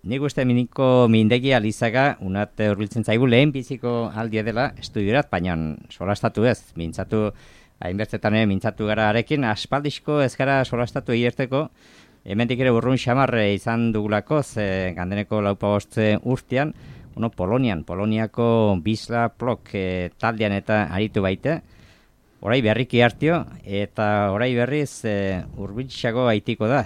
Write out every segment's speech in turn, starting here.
Nik uste miniko mindegia Lizaga unat hurbiltzen zaigu lehen biziko aldia dela estudiorat, baina solastatu ez, mintzatu hainbertzetan mintzatu gara arekin, aspaldizko ez gara solastatu eierteko, hemendik ere urrun xamarre izan dugulako, gandeneko laupagostze urtean, Poloniako Bisla Plok taldean eta aritu baite, orai berriki hartio, eta orai berriz urbiltxago aitiko da,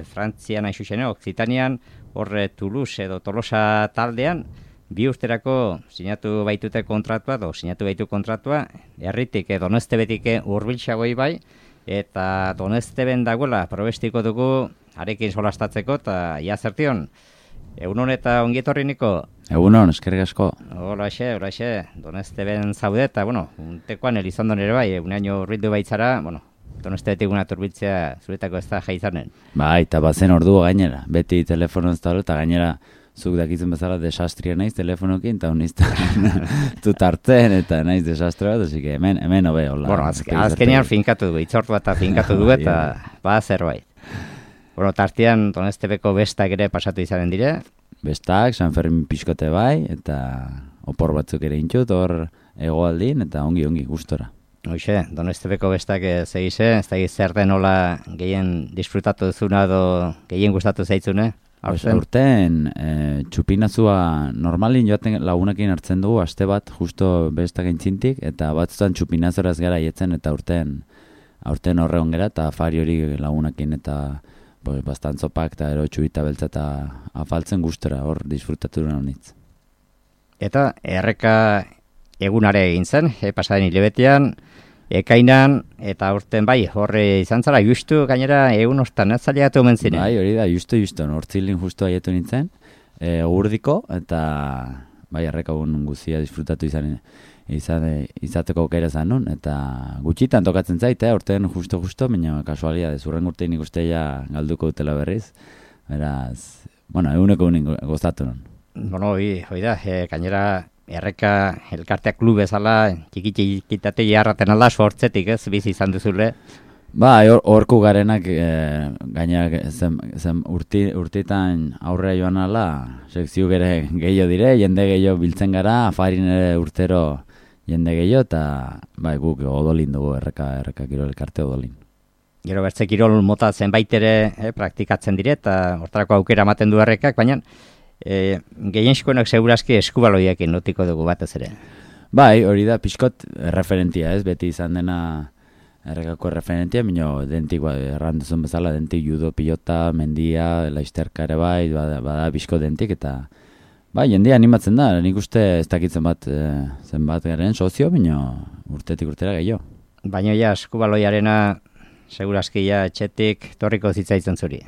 Frantzian aixuxene, Occitanian, horre Toulouse edo Tolosa taldean, 2 urterako sinatu baitute kontratua, sinatu baitu kontratua, herritik Donestebetik urbiltxagoi bai, eta Donesteben dagoela probestiko dugu arekin solastatzeko, eta ia zertion, egunon eta ongietorri niko? Egunon, eskerrik asko. Horaxe, Donesteben zaude, eta, untekoan Elizondon ere bai, uneaino urbildu baitzara, Donestebetik una turbiltzea zuretako ez da jaizanen. Bai, eta bazen ordu gainera, beti telefono ez da, eta gainera zuk dakitzen bezala desastria naiz telefonokin, eta honizta tutartzen, eta naiz desastre bat, así que hemen hobe, hola. Azkenean finkatu dugu, itzortu eta finkatu dugu, eta zerbait. Tartean Donestebeko bestak ere pasatu izanen dire. Bestak, San Fermin pixkote bai, eta opor batzuk ere intxut, hor egoaldin, eta ongi gustora. Hoxe, Donestebeko bestak segize, ez da zer den hola gehien disfrutatu duzuna edo gehien gustatu zaitzune? Urten, txupinazua normalin joaten lagunekin hartzen dugu, aste bat justo bestak entzintik, eta batzutan txupinazoraz gara jetzen, eta aurten horre ongera, eta afari hori lagunekin, eta bastantzopak eta ero txubita beltza eta afaltzen gustora, hor disfrutatu duen honitz. Eta erreka egunare egin zen, pasaden hilebetean, ekainan, eta urten bai, horre izan zara, justu gainera egun ostan, ez zaliatu omen ziren? Bai, hori da, justu, hortzilin justu aietu nintzen, urdiko, eta bai, erreka egun guzia disfrutatu izateko aukera zan nun, eta gutxitan tokatzen zait, urtean justo, baina kasualia, urren urtein ikusteia galduko dutela berriz, beraz, eguneko gozatu nun. Hoi da, gainera erreka elkarteak klub bezala, txikitate jarraten alda, sortzetik ez, bizi izan duzule. Ba, horku garenak gainera urteetan aurrera joan ala, sekzio gere gehiago dire, jende gehiago biltzen gara, afarin ere urtero jende gehiago, eta bai, guk odolin dugu erreka kirol elkarte odolin. Gero bertze kirol mota zenbait ere praktikatzen dire, eta hortarako aukera ematen du errekak, baina gehienxikoenak segurazki eskubaloiakin notiko dugu batez ere. Bai, hori da, pixkot referentia ez, beti izan dena errekako referentia, minio dentik, erranduzun bezala, dentik judo, pilota, mendia, laizterka ere bai, bada pixko dentik, eta bai, jendea animatzen da, nik uste ez dakitzen zenbat garen sozio, minio urtetik urtera gehiago. Baina ja, eskubaloiarena segurazki ja txetik torriko zitzaitzen zuri.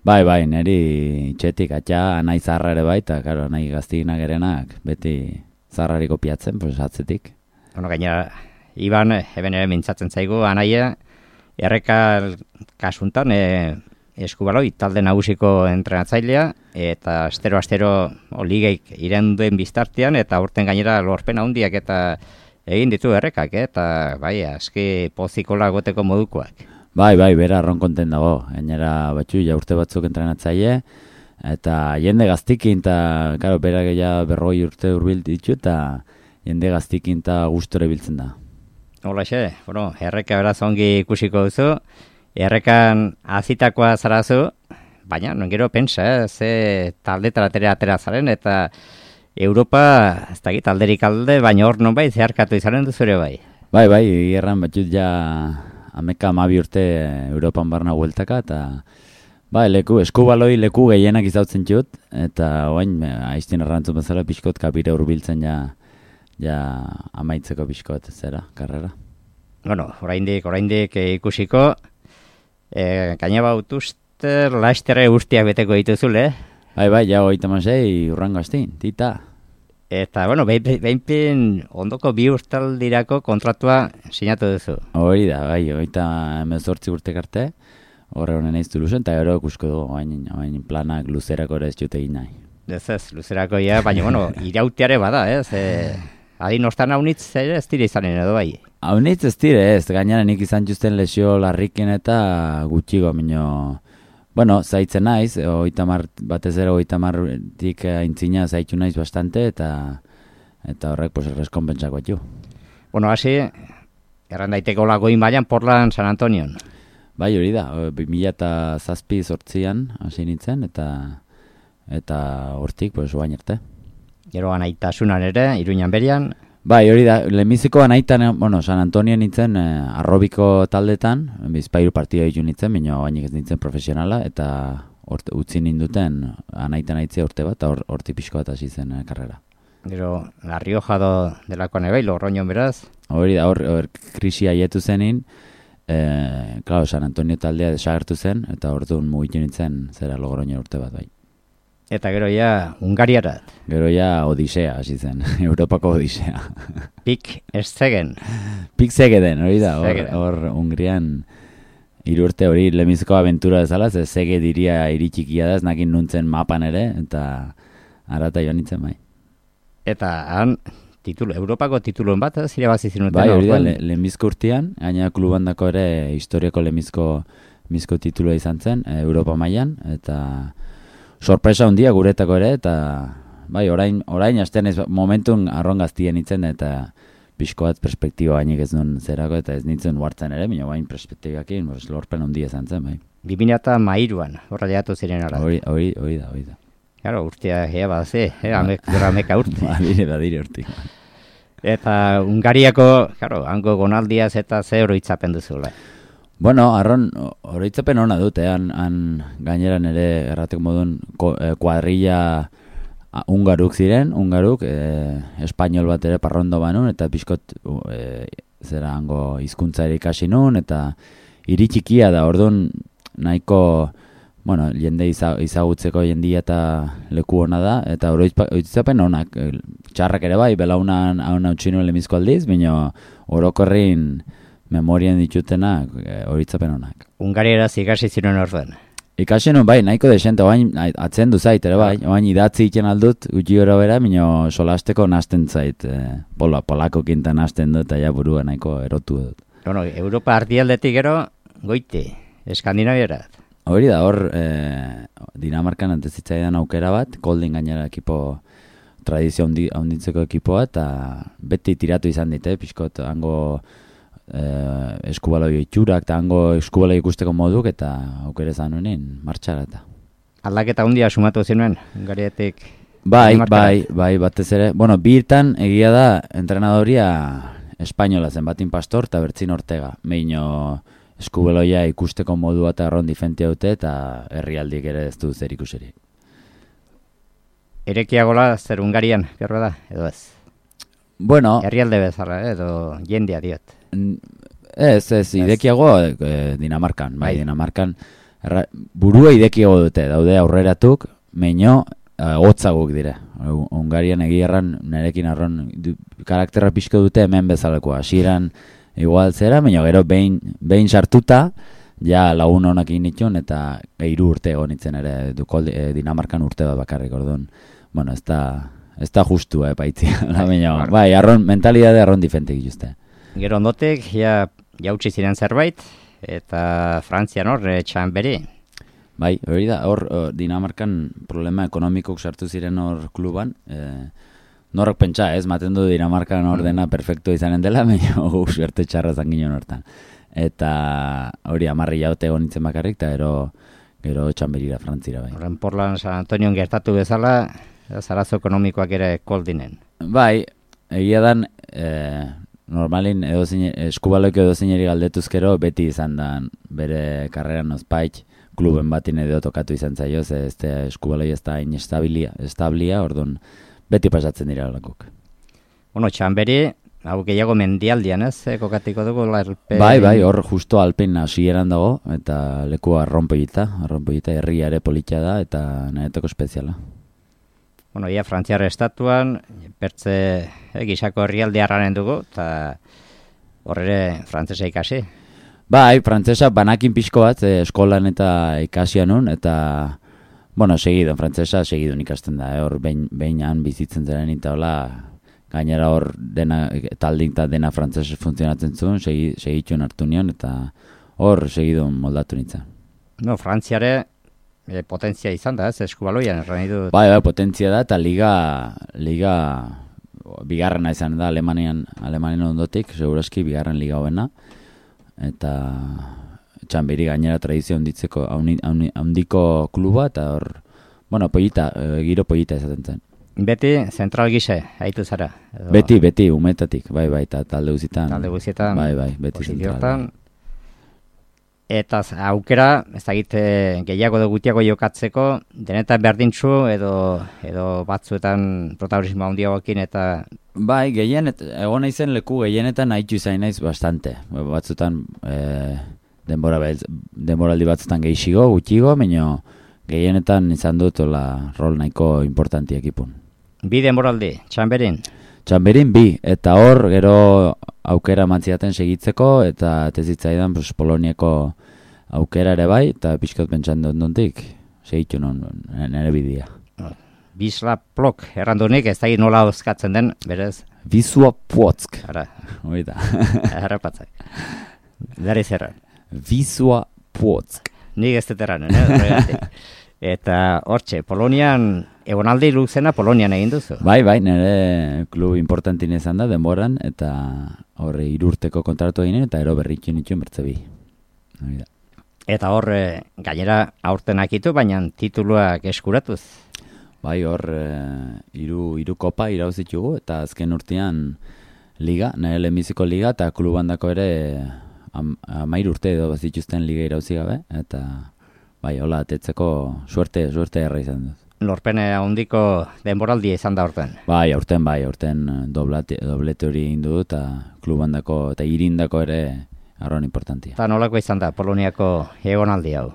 Bai, neri txetik atxa, nahi zarra ere bai, eta karo, nahi gaztiginak erenak, beti zarrari kopiatzen, atzetik. Gainera, Iban, eben ere mintzatzen zaigu, anaia, erreka kasuntan eskubaloi talde nagusiko entrenatzailea, eta astero ligeik irenduen biztartean, eta urten gainera lorpen handiak eta egin ditu errekak, eta bai, aski pozikola goteko modukoak. Bai, bera ronkonten dago, gainera batxu, urte batzuk entrenatzaile, eta jende gaztikin, eta karo, bera gehiago 40 urte urbil ditu, eta jende gaztikin eta gustore biltzen da. Holaxe, erreka beraz ongi ikusiko duzu, errekan azitakoa zarazu, baina gero pensa, ze taldetara atera zaren, eta Europa, ez dakit, alderik alde, baina hor non bai, zeharkatu izaren duzure bai. Bai, erran batxut ja ameka 12 urte Europan barna hueltaka, eta bai, eskubaloi leku gehienak izautzen txut, eta oain, aiztin errantzun bezala pixkot kapire urbiltzen ja amaitzeko pixkot zera, karrera. Oraindik ikusiko, gaina bautuzter laizterre guztiak beteko dituzule. Bai, ja 36 urrango aztin, tita. Eta, behinpin ondoko 2 urtaldirako kontratua sinatu duzu. Hori da, bai, 18 urtek arte, horre honen eiz Toulouse, eta gero ikusko dugu, hain planak luzerako ere ez jute egin nahi. Ez, luzerako ja, baina, irauteare bada, ez? Adin ostan haunitz ere ez dire izanen edo bai? Haunitz ez dire ez, gainera nik izan justen lesio larrikin eta gutxigo, minio, Bueno, zaitzen naiz, batez ere 30tik aintzina zaitu naiz bastante, eta horrek, pues, erreskonpentsak batu. Bueno, hasi, erran daiteko lagoin baian Portland San Antonion. Bai, hori da, 2007-2008an hasi nintzen, eta hortik, pues, oain arte. Gero anaitasunan ere, Iruñan berian. Bai, hori da, lehenbiziko anaitan, San Antonio nintzen arrobiko taldetan, bizpairu partida ditu nintzen, baina bainik ez nintzen profesionala, eta utzi ninduten anaitan aitzea urte bat, eta hortik pixko bat hasi zen karrera. Gero, La Rioja delakoan ebai, Logroñon beraz. Hori da, hor krisia haietu zenin, claro, San Antonio taldea desagertu zen, eta orduan mugitu nintzen zera Logroño urte bat bai. Eta gero ja, Hungariarat. Gero ja, Odisea hasi zen, Europako Odisea. Pik Szegen. Pik Szegeden, hori da, hor Hungrian 3 urte hori lehenbiziko abentura dezala, ze Szeged iria iritxikia da, ez nakin nuntzen mapan ere, eta arata joan nintzen bai. Eta han, Europako tituluen bat, irabazi zinuten. Bai, hori da, lehenbizko urtean, gaina klubandako ere historiako lehenbizko titulua izan zen, Europa mailan, eta sorpresa handia guretako ere, eta bai, orain astean ez momentun arron gaztien itzen, eta pixko bat perspektiba bainik ez duen zerako, eta ez nintzen huartzen ere, baina bain perspektibakin, lorpen handia izan zen, bai. 2013an, horra jatu ziren ara. Hori da. Claro, urtea gea baze, ameka urte. Badire urte. Eta Hungariako, claro, hango gonaldiaz eta ze oroitzapen duzula. Bueno, arron, oroitzapen hona dut, han gaineran ere errateko modun kuadrilla hungaruk ziren, espainol bat ere parrondo banun, eta pixkot zera hango hizkuntza ere ikasi nun, eta iritxikia da, orduan nahiko, bueno, jende izagutzeko jendia eta leku hona da, eta oroitzapen honak, txarrak ere bai, belaunan hauna utxinu lemizko aldiz, baina orokorrin memorian ditutenak oroitzapen honak. Hungarieraz ikasi ziren orduan. Ikasi nun bai, nahiko desente, oain atzen du zait, ere bai, oain idatzi iten aldut, gutxi gora bera, baina solasteko nasten zait, polako kinta nasten dut, eta ja burua nahiko erotu dut. Bueno, Europa ardialdetik gero, goiti, Eskandinavierat. Hori da, hor, Dinamarkan antezitzaidan aukera bat, Kolding gainera ekipo, tradizio handitzeko ekipoa, eta beti tiratu izan dite, pixkot, hango eskubaloi itxurak, eta hango eskubaloi ikusteko moduk, eta aukera izan honen, martxara eta. Aldaketa handia sumatu zinuen, Hungarietik? Bai, batez ere. Bueno, birtan egia da, entrenadoria espainola zen, Batin Pastor eta Bertzin Ortega. Meino eskubeloia ikusteko modua eta erron difentia dute, eta herrialdik ere ez du zer ikuseri. Erekiagola zer Hungarian, gerro da, edo ez? Bueno, herrialde bezala, edo jendea diot. Ez, idekiago Dinamarkan, bai, Dinamarkan burua idekiago dute, daude aurreratuk, meino hotzaguk dire. Hungarian egierran, nerekin arron, karakterra pixko dute hemen bezaleko, hasieran igual zera, meino gero behin sartuta, ja lagun honak initun, eta 3 urte egonitzen ere, Dinamarkan urte bat bakarrik, orduan, bueno, ez da justu, paitzia, bai, mentalidade arron difentik juste. Gero ondotek, jautsi ziren zerbait, eta Frantzian hor, Txanberi. Bai, hori da, hor Dinamarkan problema ekonomikok sartu ziren hor kluban, norok pentsa, maten du Dinamarkan hor dena perfecto izanen dela, baina suerte txarra zanginon hortan. Eta hori 10 jaute egon nintzen bakarrik, eta gero Txanberira, Frantzira bai. Horren Portland San Antonio gertatu bezala, zarazo ekonomikoak ere Koldinen. Bai, egia dan, normalin eskubaloiko edozineri galdetuzkero beti izan da bere karreran ozpaik kluben batin edo tokatu izan zaio, ez eskubaloi ez da establia, orduan beti pasatzen dira lakok. Bueno, Txanberi, hau gehiago mendialdian ez, kokatiko dugu larpe... Bai, hor justo alpin hasieran dago, eta leku arronpoita, herria ere politxa da, eta nahetoko espeziala. Bueno, ia Frantziar estatuan, pertze gisako herrialde harraren dugu, eta horre frantzesa ikasi. Bai, frantzesa banakin pixko bat, eskolan eta ikasian nun, eta, bueno, frantzesa segidun ikasten da, hor behinan bizitzen zeren, eta hola, gainera hor taldin eta dena frantzesa funtzionatzen zuen, segitxun hartu nion, eta hor segidun moldatu nintzen. No, Frantziare potentzia izan da, ez eskubaloian, erran dut. Bai, potentzia da, eta liga bigarrena izan da Alemanian ondotik, segurazki bigarren liga hoena, eta Txanberi gainera tradizio handiko kluba, eta hor, bueno, giro pollita izaten zen. Beti zentral gise, haitu zara? Edo... Beti, umetatik, bai, eta talde guzietan. Bai, beti zentral. Eta aukera, ez dakit gehiago edo gutiago jokatzeko, denetan berdintzu edo batzuetan protagonismo handiagoekin eta... Bai, egon naizen leku gehienetan haitxu izan naiz bastante. Batzutan denboraldi batzutan gehiago, gutxigo, baina gehienetan izan dut rol nahiko importantiak ipun. Bi denboraldi, Txanberin? Txanberin bi, eta hor gero aukera mantziaten segitzeko, eta tezitzaidan Poloniako aukera ere bai, eta pixkot pentsan dut nontik, segitu nire bidea. Wisła Płock, errandunik, ez da nola oskatzen den, berez? Wisła Płock. Ara. Oida. Errapatzak. Dara izerran. Wisła Płock. Nik ez deteran, Eta hortxe, Polonian, egonaldi luzena Polonian egin duzu? Bai, nire klub importantin izan da, denboran, eta horre 3 urteko kontratu eginen, eta ero berritu nituen bertzebi. Eta hor, gainera aurten akitu, baina tituluak eskuratuz? Bai, hor, 3 kopa irauzitugu, eta azken urtean liga, nire lehenbiziko liga, eta klubandako ere 13 urte edo bazituzten liga irauzi gabe, eta... Bai, hola, atetzeko suerte erra izan dut. Lorpene handiko denboraldia izan da aurten? Bai, aurten doblete hori egin dut, eta klubandako eta irindako ere arron importantia. Eta nolako izan da Poloniako egonaldi hau?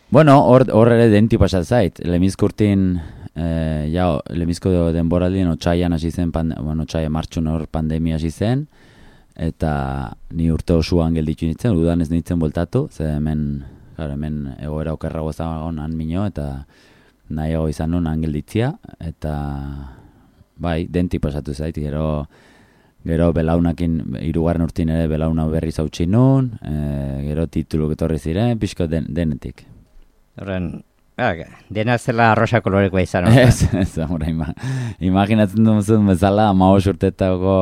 Bueno, hor ere denti pasat zait. Lemizko urtin, lemizko denboraldien otsaian hasi zen, otsaia martxun hor pandemia hasi zen, eta ni urte osoan gelditu nintzen, udan ez nintzen voltatu, ze hemen egoera okerrago zagon han mino, eta nahiago izan nun han gelditzia, eta bai, denti pasatu zait, gero belaunakin, 3. urtin ere belauna berriz hautsi nun, gero tituluk etorri ziren, pixko denetik. Horren, dena zela arrosa kolorekoa izan. Ez, imaginatzen duzun bezala, 15 urtetako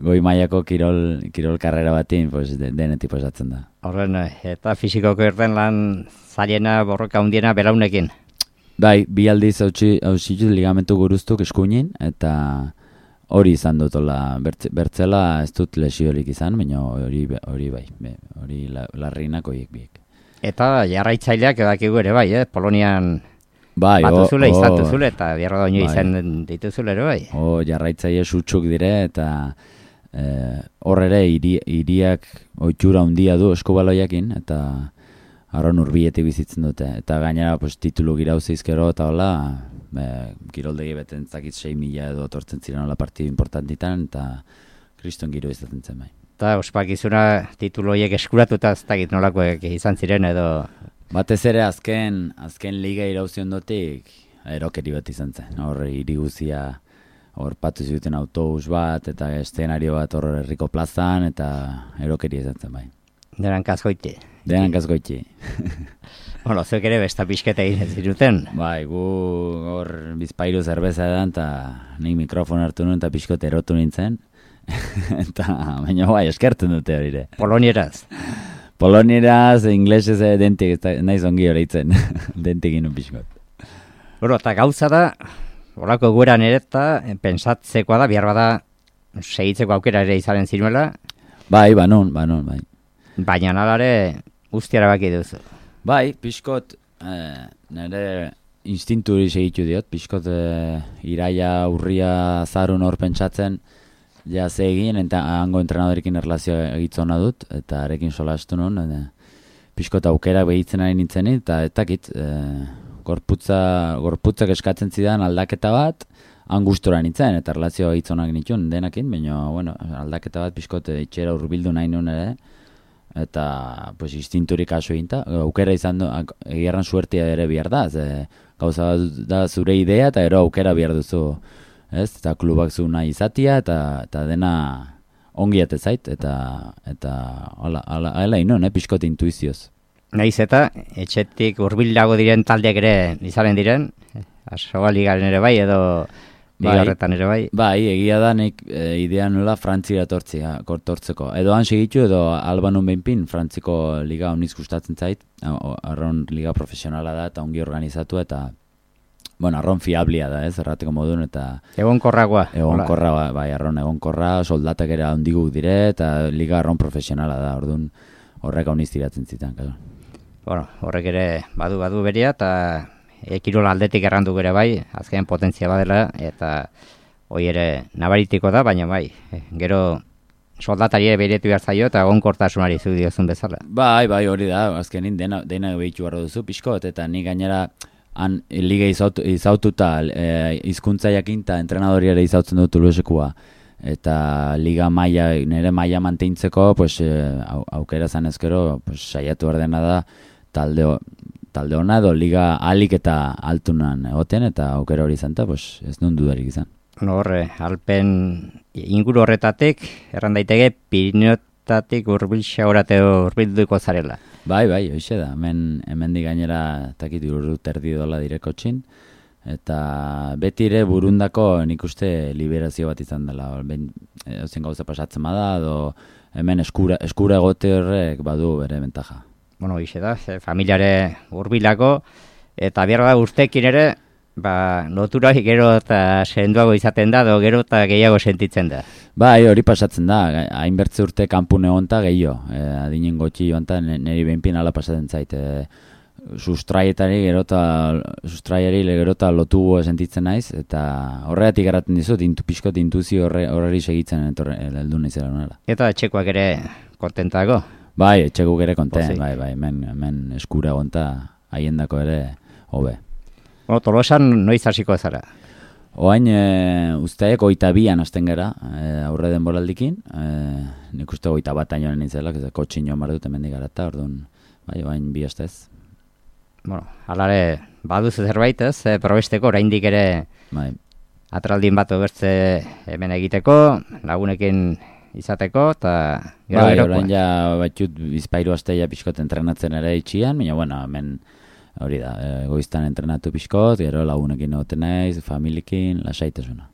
goi mailako kirol karrera batin, pues, denetik pasatzen da. Horren, eta fizikoko irten lan zailena borroka hundiena belaunekin? Bai, 2 aldiz hautsitut ligamentu guruztuk eskuinin, eta hori izan dutola, bertzela ez dut lesiolik izan, baina hori bai, hori larrinak horiek biek. Eta jarraitzaileak edakigu ere bai, Polonian batuzule izatuzule, eta bierro daño izan dituzule ere bai. Jarraitzaile sutxuk dire, eta hor ere hiriak oitxura handia du eskubaloiakin, eta arron urbietik bizitzen dute. Eta gainera titulu girauzizkero eta hola, kiroldegi beten zakit 6.000 edo tortzen ziren hola partidu importantitan, eta kriston giro izaten zen bai. Eta ospakizuna titulu horiek eskuratuta ez dakit nolakoek izan ziren edo... Batez ere azken liga irauzion dotik erokeri bat izan zen. Hor hiri guzia hor patu zuten autobus bat eta eszenario bat hor herriko plazan eta erokeri izan zen bai. Denan kazgoiti. Bueno, zuek ere besta pixketa egin ziruten. Bai, gu hor bizpairu zerbeza edan eta nik mikrofon hartu nuen eta pixkot erotu nintzen. Eta baina bai, eskertzen dute hori. Polonieraz, inglesez dentik, naiz ongi horreitzen, dentik inu pixkot. Eta gauza da, horako gueran ere eta pensatzekoa da, behar bada segitzeko aukera ere izanen zinuela. Bai, banon, bai. Baina nalare guztiara baki duzu. Bai, pixkot, nire instinturi segitu diot, pixkot iraia, urria, zarun hor pentsatzen, ja ze egin, eta hango entrenadorekin erlazioa egitzona dut, eta arekin solastu nun, pixkot aukera behitzen ari nintzen, eta etakit, gorputzak eskatzen zidan aldaketa bat, angustura nintzen, eta erlazioa egitzonak nituen denakin, baina, bueno, aldaketa bat pixkot itxera urbildu nahi nun ere, eta, pues, instinturik kasu eginta, aukera izan du, egierran suertia ere bihar da, gauza da zure idea, eta ero aukera bihar duzu, ez, eta klubak zu nahi izatia, eta dena ongi ate zait, eta hala inon, pixkot intuizioz. Naiz eta etxetik hurbilago diren taldeak ere izanen diren, Asoa ligaren ere bai, edo bigarretan ere bai. Bai, egia da nik idea nola Frantzira tortzeko. Edo han segitu, edo Albanun behinpin, Frantziko liga honiz gustatzen zait, arron liga profesionala da, eta ongi organizatu, eta bueno, arron fiablia da, errateko modun, eta Egonkorragoa. Egonkorra, bai, arron egonkorra, soldatak ere handiguk dire, eta liga arron profesionala da, orduan horrek honiz tiratzen zitan, claro. Bueno, horrek ere badu beria, eta kirol aldetik errandu ere bai, azken potentzia badela, eta hoi ere nabaritiko da, baina bai, gero soldatari ere behiretu behar zaio, eta egonkortasunari zu diozun bezala. Bai, hori da, azkenin dena behitu barro duzu, pixko, eta ni gainera han liga izaututa hizkuntza jakinta entrenadori ere izautzen dut Toulousekua, eta liga nire maila manteintzeko, pues, aukera zanezkero, pues, saiatu erdena da, talde hona edo liga alik eta altunan egoten, eta aukera hori izan, pues, ez nun dudarik izan. Horre, Alpen inguru horretatik, erran daiteke, Piriniotatik hurbilduko zarela. Bai, hoxe da, hemen gainera takit urrut erdi dola direko txin, eta beti ere burundako nik uste liberazio bat izan dela, zen gauza pasatzen bada, edo hemen eskura egote horrek badu bere bentaja. Bueno, hoxe da, familiare hurbilako, eta behar da urtekin ere, lotura gero eta senduago izaten da, edo gero eta gehiago sentitzen da. Bai, hori pasatzen da, hainbertze urte kanpun egon eta gehiago, adinen gotxi joan eta niri behinpin ala pasatzen zait, sustraiari gero eta lotu sentitzen naiz, eta horregatik garatzen dizut, pixkot intuzio horreri segitzen heldu naizela nela. Eta etxekoak ere kontentago? Bai, etxekuk ere kontent, bai, hemen eskura gonta haiendako ere hobe. Bueno, Tolosan noiz hasiko zara? Oain, usteak 22an hasten gara, aurre denboraldikin, nik uste 21 ainoen nintzela, kotxin joan bar dut hemendik gara eta, orduan, bai, oain 2 astez. Bueno, alare, baduzu zerbait ez, probesteko, oraindik ere atraldin bat obertze hemen egiteko, lagunekin izateko, eta gero gerokoa. Orain ja batxut bizpairu asteia pixkot entrenatzen ere itxian, baina, bueno, hemen hori da, goiztan entrenatu pixkot, gero lagunekin egoten naiz, familiekin, lasaitasuna.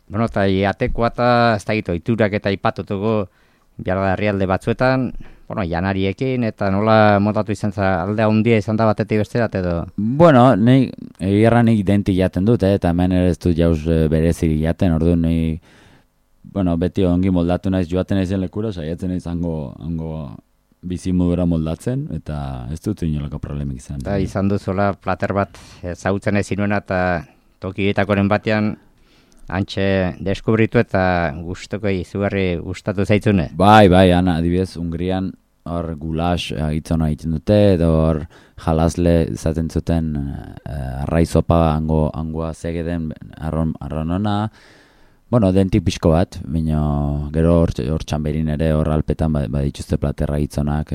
Bueno, eta jatekoa eta ez da gitu, iturak eta ipatutuko behar da herrialde batzuetan, bueno, janariekin, eta nola montatu izan za, aldea handia izan da batetik besterat edo? Bueno, egia nik denti jaten dut, eta hemen ere ez dut jauz berezik jaten, orduan bueno, beti ongi moldatu naiz joaten naizen lekura, saiatzen naiz hango bizimodura moldatzen, eta ez dut inolako problemik izan. Eta izan duzuela plater bat zautzen ez inuena, eta tokietakoren batean antxe deskubritu eta gustoko izugarri gustatu zaitzune. Bai, ana, adibidez, Hungrian hor gulax agitzona egiten dute, edo hor jalazle izaten zuten arraizopa hangoa zegeden arronona, bueno, dentik pixko bat, baina gero hor txamberin ere hor alpetan badituzte platerra gitzonak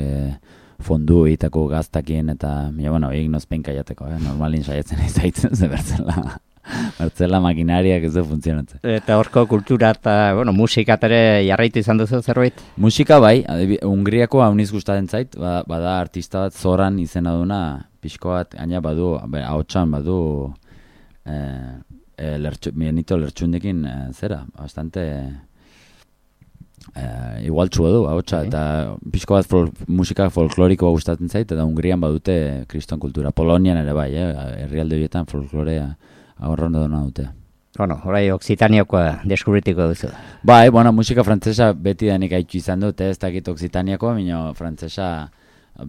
fondu egiteko gaztakien, eta, bueno, egin nozpenka jateko, normalin saiatzen izaitzen ze bertzela makinariak ez du funtzionatzen. Eta horko kultura eta, bueno, musika ere jarraitu izan duzu zerbait? Musika bai, Hungriako hauniz gustatzen zait, bada artista bat Zoran izena duna, pixko bat, gaina badu, ahotsan badu, Benito Lertxundekin zera, bastante igual txua du, ahotsa, eta pixko bat musika folklorikoa gustatzen zait, eta Hungrian badute kriston kultura. Polonian ere bai, herrialde horietan folklorea ahorrondo duna dute. Bueno, orai Occitaniakoa deskubritiko duzu. Bai, bueno, musika frantzesa beti denik haitxu izan dut, ez dakit Occitaniakoa, baina frantzesa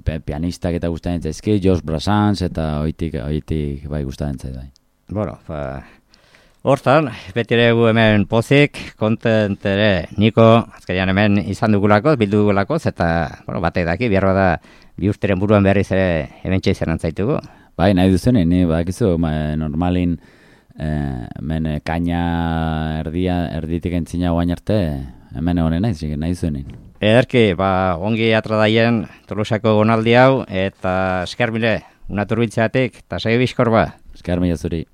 pianistak eta gustatzen zaizki, Georges Brassens, eta oitik bai gustatzen zait bai. Bueno, hortan, beti ere gu hemen pozik, kontent ere niko, azkarian hemen izan dugulako, bildu dugulako, eta, bueno, batek daki, behar da, bi urteren buruan berriz ere hemen txaizen antzaitugu. Bai, nahi duzunen, badakizu, normalin, hemen kaina erditik entzina guain arte, hemen egonen nahi duzunen. Ederki, ongi atradaien Tolosako gonaldi hau, eta eskarbile, unaturbiltzeatik, eta segi bizkor ba. Eskar mila zuri.